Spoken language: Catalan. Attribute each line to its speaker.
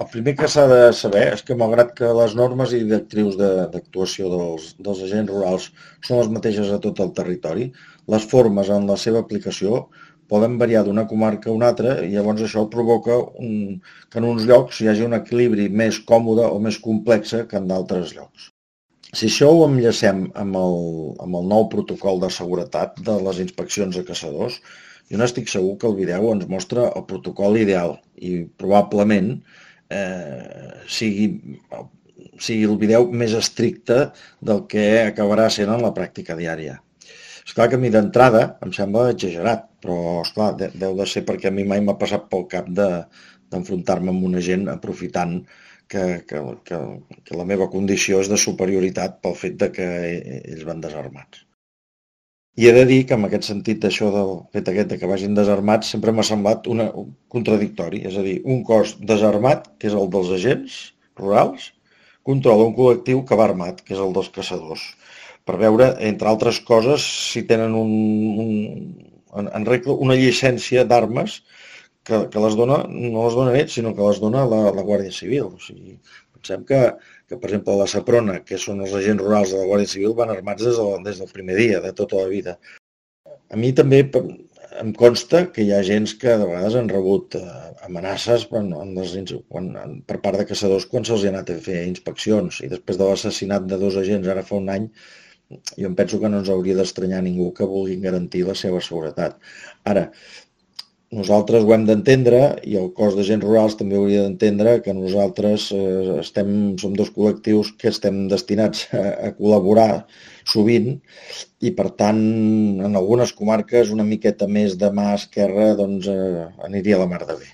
Speaker 1: El primer que s'ha de saber és que, malgrat que les normes i directrius d'actuació dels agents rurals són les mateixes a tot el territori, les formes en la seva aplicació poden variar d'una comarca a una altra i llavors això provoca que en uns llocs hi hagi un equilibri més còmode o més complex que en d'altres llocs. Si això ho enllacem amb el nou protocol de seguretat de les inspeccions a caçadors, jo n'estic segur que el vídeo ens mostra el protocol ideal i probablement sigui, sigui el vídeo més estricte del que acabarà sent en la pràctica diària. Esclar que a mi d'entrada em sembla exagerat, però esclar, deu de ser perquè a mi mai m'ha passat pel cap d'enfrontar-me amb una gent aprofitant que la meva condició és de superioritat pel fet de que ells van desarmats. I he de dir que en aquest sentit d'això del fet aquest de que vagin desarmats sempre m'ha semblat un contradictori, és a dir, un cos desarmat, que és el dels agents rurals, controla un col·lectiu que va armat, que és el dels caçadors, per veure, entre altres coses, si tenen en regla una llicència d'armes que les dona, no les dona ells, sinó que les dona la Guàrdia Civil. O sigui, pensem per exemple, la Seprona, que són els agents rurals de la Guàrdia Civil, van armats des del primer dia, de tota la vida. A mi també em consta que hi ha agents que de vegades han rebut amenaces per part de caçadors quan se'ls ha anat a fer inspeccions, i després de l'assassinat de 2 agents ara fa un any, jo em penso que no ens hauria d'estranyar ningú que vulguin garantir la seva seguretat. Ara, nosaltres ho hem d'entendre i el cos d'agents rurals també hauria d'entendre que nosaltres som 2 col·lectius que estem destinats a col·laborar sovint i per tant en algunes comarques una miqueta més de mà esquerra doncs aniria a la mar de bé.